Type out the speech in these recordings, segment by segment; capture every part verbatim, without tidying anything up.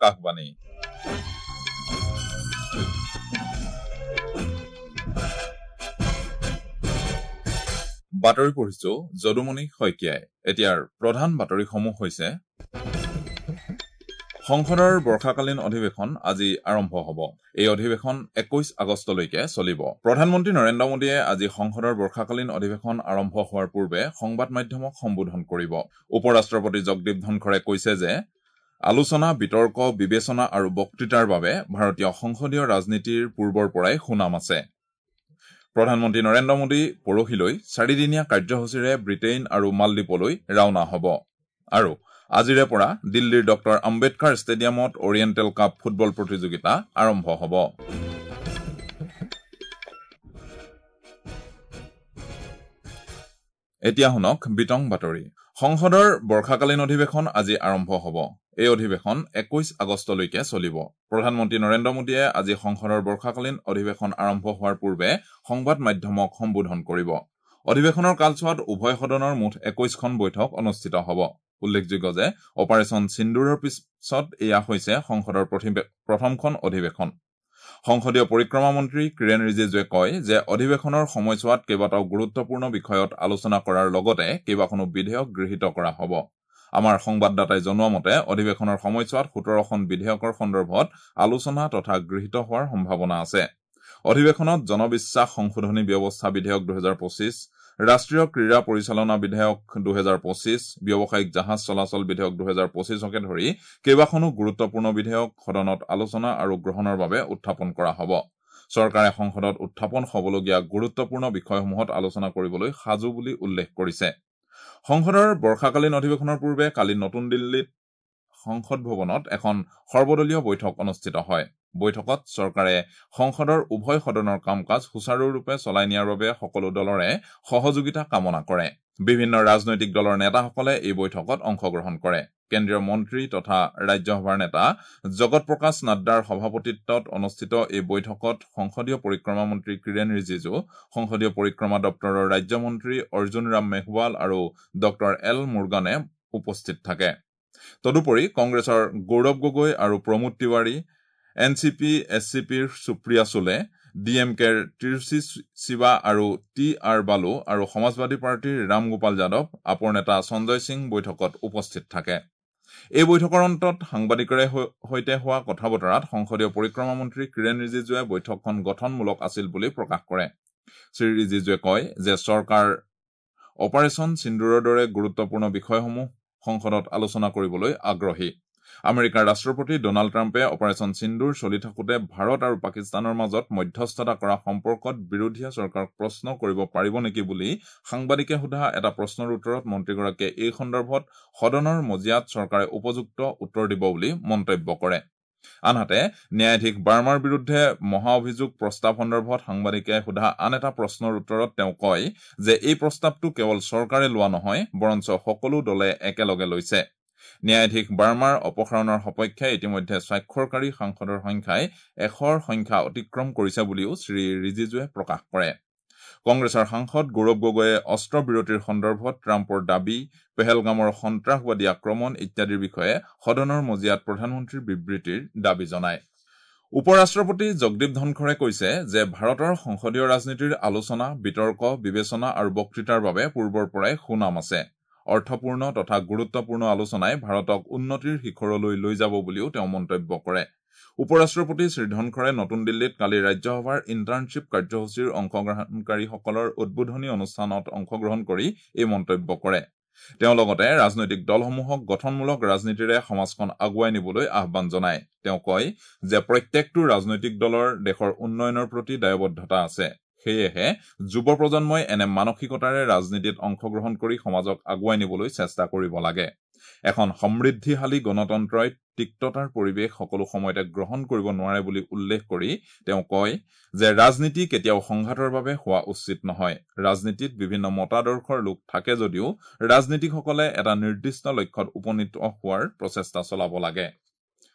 আকাশবাণী। বাতৰি পঢ়িছো যদুমণি শইকীয়াই। এতিয়াৰ প্ৰধান বাতৰিসমূহ হৈছে: সংসদৰ বৰ্ষাকালীন অধিৱেশন আজি আৰম্ভ হ'ব। এই অধিৱেশন একৈশ আগষ্টলৈকে চলিব। প্ৰধানমন্ত্ৰী নৰেন্দ্ৰ মোদীয়ে আজি সংসদৰ বৰ্ষাকালীন অধিৱেশন আৰম্ভ হোৱাৰ পূৰ্বে সংবাদ মাধ্যমক সম্বোধন কৰিব। উপ ৰাষ্ট্ৰপতি জগদীপ ধনখৰে কৈছে যে আলোচনা, বিতৰ্ক, বিবেচনা আৰু বক্তৃতাৰ বাবে ভাৰতীয় সংসদীয় ৰাজনীতিৰ পূৰ্বৰ পৰাই সুনাম আছে। প্ৰধানমন্ত্ৰী নৰেন্দ্ৰ মোদী পৰহিলৈ চাৰিদিনীয়া কাৰ্যসূচীৰে ব্ৰিটেইন আৰু মালদ্বীপলৈ ৰাওনা হ'ব। আৰু আজিৰে পৰা দিল্লীৰ ডক্টৰ আম্বেদকাৰ ষ্টেডিয়ামত অৰিয়েণ্টেল কাপ ফুটবল প্ৰতিযোগিতা আৰম্ভ হ'ব। এতিয়া শুনক বিতং বাতৰি। সংসদৰ বৰ্ষাকালীন অধিৱেশন আজি আৰম্ভ হ'ব। এই অধিৱেশন একৈশ আগষ্টলৈকে চলিব। প্ৰধানমন্ত্ৰী নৰেন্দ্ৰ মোদীয়ে আজি সংসদৰ বৰ্ষাকালীন অধিৱেশন আৰম্ভ হোৱাৰ পূৰ্বে সংবাদ মাধ্যমক সম্বোধন কৰিব। অধিৱেশনৰ কালছোৱাত উভয় সদনৰ মুঠ একৈশখন বৈঠক অনুষ্ঠিত হ'ব। উল্লেখযোগ্য যে অপাৰেচন সিন্দুৰৰ পিছত এয়া হৈছে সংসদৰ প্ৰথমখন অধিৱেশন। সংসদীয় পৰিক্ৰমা মন্ত্ৰী কিৰেণ ৰিজিজুৱে কয় যে অধিৱেশনৰ সময়ছোৱাত কেইবাটাও গুৰুত্বপূৰ্ণ বিষয়ত আলোচনা কৰাৰ লগতে কেইবাখনো বিধেয়ক গৃহীত কৰা হ'ব। আমাৰ সংবাদদাতাই জনোৱা মতে অধিৱেশনৰ সময়ছোৱাত সোতৰখন বিধেয়কৰ সন্দৰ্ভত আলোচনা তথা গৃহীত হোৱাৰ সম্ভাৱনা আছে। অধিৱেশনত জনবিশ্বাস সংশোধনী ব্যৱস্থা বিধেয়ক দুহেজাৰ পঁচিছ, ৰাষ্ট্ৰীয় ক্ৰীড়া পৰিচালনা বিধেয়ক দুহেজাৰ পঁচিছ, ব্যৱসায়িক জাহাজ চলাচল বিধেয়ক দুহেজাৰ পঁচিছকে ধৰি কেইবাখনো গুৰুত্বপূৰ্ণ বিধেয়ক সদনত আলোচনা আৰু গ্ৰহণৰ বাবে উত্থাপন কৰা হ'ব। চৰকাৰে সংসদত উত্থাপন হ'বলগীয়া গুৰুত্বপূৰ্ণ বিষয়সমূহত আলোচনা কৰিবলৈ সাজু বুলি উল্লেখ কৰিছে। সংসদৰ বৰ্ষাকালীন অধিৱেশনৰ পূৰ্বে কালি নতুন দিল্লীত সংসদ ভৱনত এখন সৰ্বদলীয় বৈঠক অনুষ্ঠিত হয়। বৈঠকত চৰকাৰে সংসদৰ উভয় সদনৰ কাম কাজ সুচাৰুৰূপে চলাই নিয়াৰ বাবে সকলো দলৰে সহযোগিতা কামনা কৰে। বিভিন্ন ৰাজনৈতিক দলৰ নেতাসকলে এই বৈঠকত অংশগ্ৰহণ কৰে। কেন্দ্ৰীয় মন্ত্ৰী তথা ৰাজ্যসভাৰ নেতা জগত প্ৰকাশ নাড্ডাৰ সভাপতিত্বত অনুষ্ঠিত এই বৈঠকত সংসদীয় পৰিক্ৰমা মন্ত্ৰী কিৰেণ ৰিজিজু, সংসদীয় পৰিক্ৰমা দপ্তৰৰ ৰাজ্যমন্ত্ৰী অৰ্জুন ৰাম মেঘৱাল আৰু ডক্টৰ এল মুৰ্গানে উপস্থিত থাকে। তদুপৰি কংগ্ৰেছৰ গৌৰৱ গগৈ আৰু Pramod Tiwari, N C P S C পিৰ সুপ্ৰিয়া চুলে, ডি এম কেৰ তিৰুচি শিৱা আৰু টি আৰ বালু আৰু সমাজবাদী পাৰ্টীৰ ৰামগোপাল যাদৱ, আপৰ নেতা সঞ্জয় সিং বৈঠকত উপস্থিত থাকে। এই বৈঠকৰ অন্তত সাংবাদিকৰে সৈতে হোৱা কথা বতৰাত সংসদীয় পৰিক্ৰমা মন্ত্ৰী কিৰেণ ৰিজিজুৱে বৈঠকখন গঠনমূলক আছিল বুলি প্ৰকাশ কৰে। শ্ৰী ৰিজিজুৱে কয় যে চৰকাৰ অপাৰেচন সিন্দুৰৰ দৰে গুৰুত্বপূৰ্ণ বিষয়সমূহ সংসদত আলোচনা কৰিবলৈ আগ্ৰহী। আমেৰিকাৰ ৰাষ্ট্ৰপতি ডনাল্ড ট্ৰাম্পে অপাৰেচন সিন্দুৰ চলি থাকোঁতে ভাৰত আৰু পাকিস্তানৰ মাজত মধ্যস্থতা কৰা সম্পৰ্কত বিৰোধীয়ে চৰকাৰক প্ৰশ্ন কৰিব পাৰিব নেকি বুলি সাংবাদিকে সোধা এটা প্ৰশ্নৰ উত্তৰত মন্ত্ৰীগৰাকীয়ে এই সন্দৰ্ভত সদনৰ মজিয়াত চৰকাৰে উপযুক্ত উত্তৰ দিব বুলি মন্তব্য কৰে। আনহাতে ন্যায়াধীশ বাৰ্মাৰ বিৰুদ্ধে মহা অভিযোগ প্ৰস্তাৱ সন্দৰ্ভত সাংবাদিকে সোধা আন এটা প্ৰশ্নৰ উত্তৰত তেওঁ কয় যে এই প্ৰস্তাৱটো কেৱল চৰকাৰে লোৱা নহয়, বৰঞ্চ সকলো দলে একেলগে লৈছে। ন্যায়াধীশ বাৰ্মাৰ অপসাৰণৰ সপক্ষে ইতিমধ্যে স্বাক্ষৰকাৰী সাংসদৰ সংখ্যাই এশৰ সংখ্যা অতিক্ৰম কৰিছে বুলিও শ্ৰী ৰিজিজুৱে প্ৰকাশ কৰে। কংগ্ৰেছৰ সাংসদ গৌৰৱ গগৈয়ে অস্ত্ৰবিৰতিৰ সন্দৰ্ভত ট্ৰাম্পৰ দাবী, পেহেলগামৰ সন্ত্ৰাসবাদী আক্ৰমণ ইত্যাদিৰ বিষয়ে সদনৰ মজিয়াত প্ৰধানমন্ত্ৰীৰ বিবৃতিৰ দাবী জনায়। উপ ৰাষ্ট্ৰপতি জগদীপ ধনখৰে কৈছে যে ভাৰতৰ সংসদীয় ৰাজনীতিৰ আলোচনা, বিতৰ্ক, বিবেচনা আৰু বক্তৃতাৰ বাবে পূৰ্বৰ পৰাই সুনাম আছে। অৰ্থপূৰ্ণ তথা গুৰুত্বপূৰ্ণ আলোচনাই ভাৰতক উন্নতিৰ শিখৰলৈ লৈ যাব বুলিও তেওঁ মন্তব্য কৰে। উপ ৰাষ্ট্ৰপতি শ্ৰী ধনখৰে নতুন দিল্লীত কালি ৰাজ্যসভাৰ ইণ্টাৰ্ণশ্বিপ কাৰ্যসূচীৰ অংশগ্ৰহণকাৰীসকলৰ উদ্বোধনী অনুষ্ঠানত অংশগ্ৰহণ কৰি এই মন্তব্য কৰে। তেওঁ লগতে ৰাজনৈতিক দলসমূহক গঠনমূলক ৰাজনীতিৰে সমাজখন আগুৱাই নিবলৈ আহ্বান জনায়। তেওঁ কয় যে প্ৰত্যেকটো ৰাজনৈতিক দলৰ দেশৰ উন্নয়নৰ প্ৰতি দায়বদ্ধতা আছে। সেয়েহে যুৱ প্ৰজন্মই এনে মানসিকতাৰে ৰাজনীতিত অংশগ্ৰহণ কৰি সমাজক আগুৱাই নিবলৈ চেষ্টা কৰিব লাগে। এখন সমৃদ্ধিশালী গণতন্ত্ৰই তিক্ততাৰ পৰিৱেশ সকলো সময়তে গ্ৰহণ কৰিব নোৱাৰে বুলি উল্লেখ কৰি তেওঁ কয় যে ৰাজনীতি কেতিয়াও সংঘাতৰ বাবে হোৱা উচিত নহয়। ৰাজনীতিত বিভিন্ন মতাদৰ্শৰ লোক থাকে যদিও ৰাজনীতিকসকলে এটা নিৰ্দিষ্ট লক্ষ্যত উপনীত হোৱাৰ প্ৰচেষ্টা চলাব লাগে।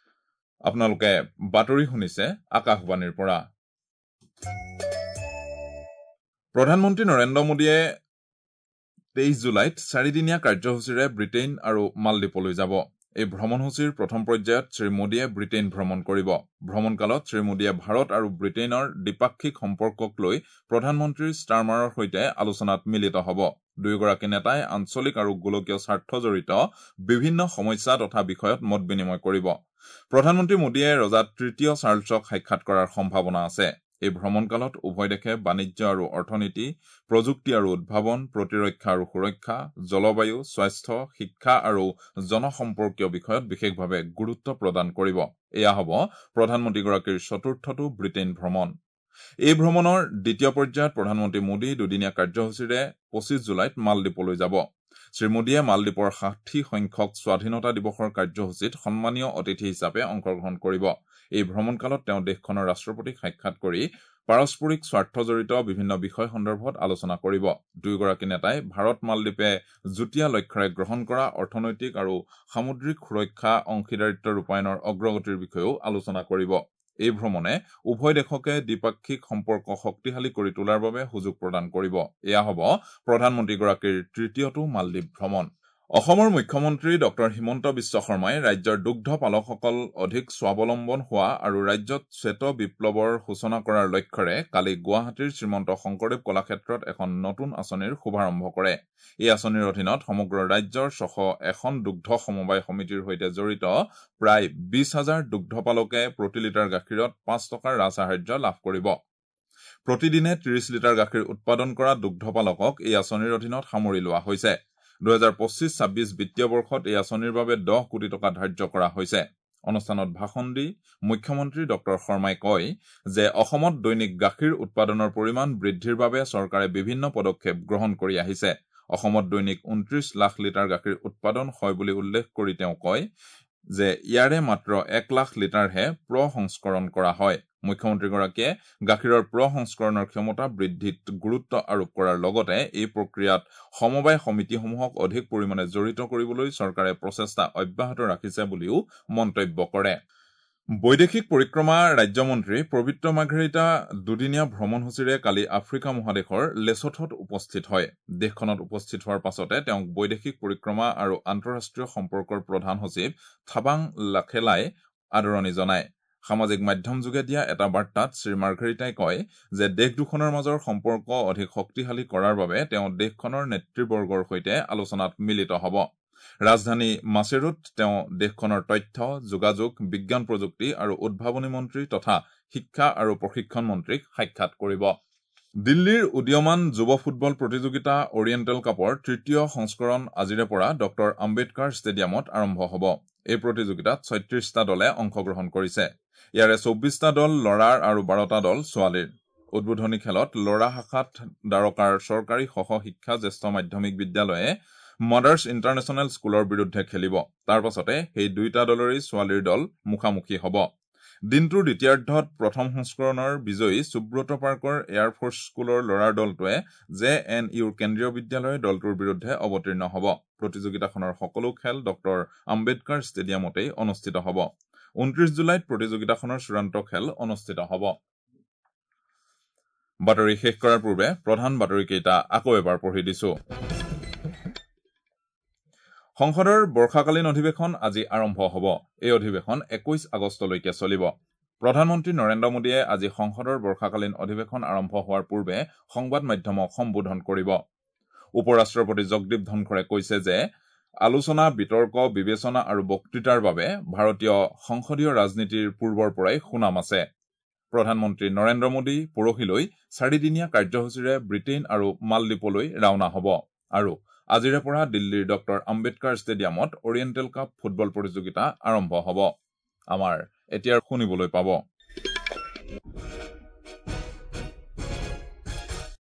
আপোনালোকে বাতৰি শুনিছে আকাশবাণীৰ পৰা। প্ৰধানমন্ত্ৰী নৰেন্দ্ৰ মোদীয়ে তেইছ জুলাইত চাৰিদিনীয়া কাৰ্যসূচীৰে ব্ৰিটেইন আৰু মালদ্বীপলৈ যাব। এই ভ্ৰমণসূচীৰ প্ৰথম পৰ্যায়ত শ্ৰী মোদীয়ে ব্ৰিটেইন ভ্ৰমণ কৰিব। ভ্ৰমণকালত শ্ৰী মোদীয়ে ভাৰত আৰু ব্ৰিটেইনৰ দ্বিপাক্ষিক সম্পৰ্কক লৈ প্ৰধানমন্ত্ৰী ষ্টাৰমাৰৰ সৈতে আলোচনাত মিলিত হ'ব। দুয়োগৰাকী নেতাই আঞ্চলিক আৰু গোলকীয় স্বাৰ্থজড়িত বিভিন্ন সমস্যা তথা বিষয়ত মত বিনিময় কৰিব। প্ৰধানমন্ত্ৰী মোদীয়ে ৰজা তৃতীয় চাৰ্লছক সাক্ষাৎ কৰাৰ সম্ভাৱনা আছে। এই ভ্ৰমণকালত উভয় দেশে বাণিজ্য আৰু অৰ্থনীতি, প্ৰযুক্তি আৰু উদ্ভাৱন, প্ৰতিৰক্ষা আৰু সুৰক্ষা, জলবায়ু, স্বাস্থ্য, শিক্ষা আৰু জনসম্পৰ্কীয় বিষয়ত বিশেষভাৱে গুৰুত্ব প্ৰদান কৰিব। এয়া হ'ব প্ৰধানমন্ত্ৰীগৰাকীৰ চতুৰ্থটো ব্ৰিটেইন ভ্ৰমণ। এই ভ্ৰমণৰ দ্বিতীয় পৰ্যায়ত প্ৰধানমন্ত্ৰী মোদী দুদিনীয়া কাৰ্যসূচীৰে পঁচিছ জুলাইত মালদ্বীপলৈ যাব। শ্ৰী মোদীয়ে মালদ্বীপৰ ষাঠি সংখ্যক স্বাধীনতা দিৱসৰ কাৰ্যসূচীত সন্মানীয় অতিথি হিচাপে অংশগ্ৰহণ কৰিব। এই ভ্ৰমণকালত তেওঁ দেশখনৰ ৰাষ্ট্ৰপতিক সাক্ষাৎ কৰি পাৰস্পৰিক স্বাৰ্থজড়িত বিভিন্ন বিষয় সন্দৰ্ভত আলোচনা কৰিব। দুয়োগৰাকী নেতাই ভাৰত মালদ্বীপে যুটীয়া লক্ষ্যৰে গ্ৰহণ কৰা অৰ্থনৈতিক আৰু সামুদ্ৰিক সুৰক্ষা অংশীদাৰিত্ব ৰূপায়ণৰ অগ্ৰগতিৰ বিষয়েও আলোচনা কৰিব। এই ভ্ৰমণে উভয় দেশকে দ্বিপাক্ষিক সম্পৰ্ক শক্তিশালী কৰি তোলাৰ বাবে সুযোগ প্ৰদান কৰিব। এয়া হ'ব প্ৰধানমন্ত্ৰীগৰাকীৰ তৃতীয়টো মালদ্বীপ ভ্ৰমণ। অসমৰ মুখ্যমন্ত্ৰী ডক্টৰ হিমন্ত বিশ্ব শৰ্মাই ৰাজ্যৰ দুগ্ধ পালকসকল অধিক স্বাৱলম্বন হোৱা আৰু ৰাজ্যত শ্বেত বিপ্লৱৰ সূচনা কৰাৰ লক্ষ্যৰে কালি গুৱাহাটীৰ শ্ৰীমন্ত শংকৰদেৱ কলাক্ষেত্ৰত এখন নতুন আঁচনিৰ শুভাৰম্ভ কৰে। এই আঁচনিৰ অধীনত সমগ্ৰ ৰাজ্যৰ ছশ এখন দুগ্ধ সমবায় সমিতিৰ সৈতে জড়িত প্ৰায় বিশ হাজাৰ দুগ্ধ পালকে প্ৰতি লিটাৰ গাখীৰত পাঁচ টকাৰ ৰাজসাহায্য লাভ কৰিব। প্ৰতিদিনে ত্ৰিশ লিটাৰ গাখীৰ উৎপাদন কৰা দুগ্ধ পালকক এই আঁচনিৰ অধীনত সামৰি লোৱা হৈছে। দুহেজাৰ পঁচিছ ছাব্বিছ বিত্তীয় বৰ্ষত এই আঁচনিৰ বাবে দহ কোটি টকা ধাৰ্য কৰা হৈছে। অনুষ্ঠানত ভাষণ দি মুখ্যমন্ত্ৰী ডক্টৰ শৰ্মাই কয় যে অসমত দৈনিক গাখীৰ উৎপাদনৰ পৰিমাণ বৃদ্ধিৰ বাবে চৰকাৰে বিভিন্ন পদক্ষেপ গ্ৰহণ কৰি আহিছে। অসমত দৈনিক ঊনত্ৰিশ লাখ লিটাৰ গাখীৰ উৎপাদন হয় বুলি উল্লেখ কৰি তেওঁ কয় যে ইয়াৰে মাত্ৰ এক লাখ লিটাৰহে প্ৰসংস্কৰণ কৰা হয়। মুখ্যমন্ত্ৰীগৰাকীয়ে গাখীৰৰ প্ৰসংস্কৰণৰ ক্ষমতা বৃদ্ধিত গুৰুত্ব আৰোপ কৰাৰ লগতে এই প্ৰক্ৰিয়াত সমবায় সমিতিসমূহক অধিক পৰিমাণে জড়িত কৰিবলৈ চৰকাৰে প্ৰচেষ্টা অব্যাহত ৰাখিছে বুলিও মন্তব্য কৰে। বৈদেশিক পৰিক্ৰমা ৰাজ্যমন্ত্ৰী পবিত্ৰ মাৰ্ঘেৰিটা দুদিনীয়া ভ্ৰমণসূচীৰে কালি আফ্ৰিকা মহাদেশৰ লেছথত উপস্থিত হয়। দেশখনত উপস্থিত হোৱাৰ পাছতে তেওঁক বৈদেশিক পৰিক্ৰমা আৰু আন্তঃৰাষ্ট্ৰীয় সম্পৰ্কৰ প্ৰধান সচিব থাবাং লাখেলাই আদৰণি জনায়। সামাজিক মাধ্যমযোগে দিয়া এটা বাৰ্তাত শ্ৰী মাৰ্ঘেৰিটাই কয় যে দেশ দুখনৰ মাজৰ সম্পৰ্ক অধিক শক্তিশালী কৰাৰ বাবে তেওঁ দেশখনৰ নেতৃবৰ্গৰ সৈতে আলোচনাত মিলিত হ'ব। ৰাজধানী মাছেৰুত তেওঁ দেশখনৰ তথ্য, যোগাযোগ, বিজ্ঞান প্ৰযুক্তি আৰু উদ্ভাৱনী মন্ত্ৰী তথা শিক্ষা আৰু প্ৰশিক্ষণ মন্ত্ৰীক সাক্ষাৎ কৰিব। দিল্লীৰ উদীয়মান যুৱ ফুটবল প্ৰতিযোগিতা অৰিয়েণ্টেল কাপৰ তৃতীয় সংস্কৰণ আজিৰে পৰা ডক্টৰ আম্বেদকাৰ ষ্টেডিয়ামত আৰম্ভ হ'ব। এই প্ৰতিযোগিতাত ছয়ত্ৰিশটা দলে অংশগ্ৰহণ কৰিছে। ইয়াৰে চৌব্বিছটা দল ল'ৰাৰ আৰু বাৰটা দল ছোৱালীৰ। উদ্বোধনী খেলত ল'ৰা শাখাত দ্বাৰকাৰ চৰকাৰী সহ শিক্ষা জ্যেষ্ঠ মাধ্যমিক বিদ্যালয়ে মাদাৰ্ছ ইণ্টাৰনেশ্যনেল স্কুলৰ বিৰুদ্ধে খেলিব। তাৰ পাছতে সেই দুয়োটা দলৰেই ছোৱালীৰ দল মুখামুখি হ'ব। দিনটোৰ দ্বিতীয়াৰ্ধত প্ৰথম সংস্কৰণৰ বিজয়ী সুব্ৰত পাৰ্কৰ এয়াৰফ'ৰ্চ স্কুলৰ ল'ৰাৰ দলটোৱে জে এন ইউৰ কেন্দ্ৰীয় বিদ্যালয়ৰ দলটোৰ বিৰুদ্ধে অৱতীৰ্ণ হ'ব। প্ৰতিযোগিতাখনৰ সকলো খেল ডক্টৰ আম্বেদকাৰ ষ্টেডিয়ামতেই অনুষ্ঠিত হ'ব। ঊনত্ৰিশ জুলাইত প্ৰতিযোগিতাখনৰ চূড়ান্ত খেল অনুষ্ঠিত হ'ব। বাতৰি শেষ কৰাৰ পূৰ্বে প্ৰধান বাতৰিকেইটা আকৌ এবাৰ পঢ়ি দিছো। সংসদৰ বৰ্ষাকালীন অধিৱেশন আজি আৰম্ভ হ'ব। এই অধিৱেশন একৈশ আগষ্টলৈকে চলিব। প্ৰধানমন্ত্ৰী নৰেন্দ্ৰ মোদীয়ে আজি সংসদৰ বৰ্ষাকালীন অধিৱেশন আৰম্ভ হোৱাৰ পূৰ্বে সংবাদ মাধ্যমক সম্বোধন কৰিব। উপ ৰাষ্ট্ৰপতি জগদীপ ধনখৰে কৈছে যে আলোচনা, বিতৰ্ক, বিবেচনা আৰু বক্তৃতাৰ বাবে ভাৰতীয় সংসদীয় ৰাজনীতিৰ পূৰ্বৰ পৰাই সুনাম আছে। প্ৰধানমন্ত্ৰী নৰেন্দ্ৰ মোদী পৰহিলৈ চাৰিদিনীয়া কাৰ্যসূচীৰে ব্ৰিটেইন আৰু মালদ্বীপলৈ ৰাওনা হ'ব আৰু আজিৰে পৰা দিল্লীৰ ডক্টৰ আম্বেদকাৰ ষ্টেডিয়ামত অৰিয়েণ্টেল কাপ ফুটবল প্ৰতিযোগিতা আৰম্ভ হ'ব। আমাৰ এতিয়া শুনিবলৈ পাব।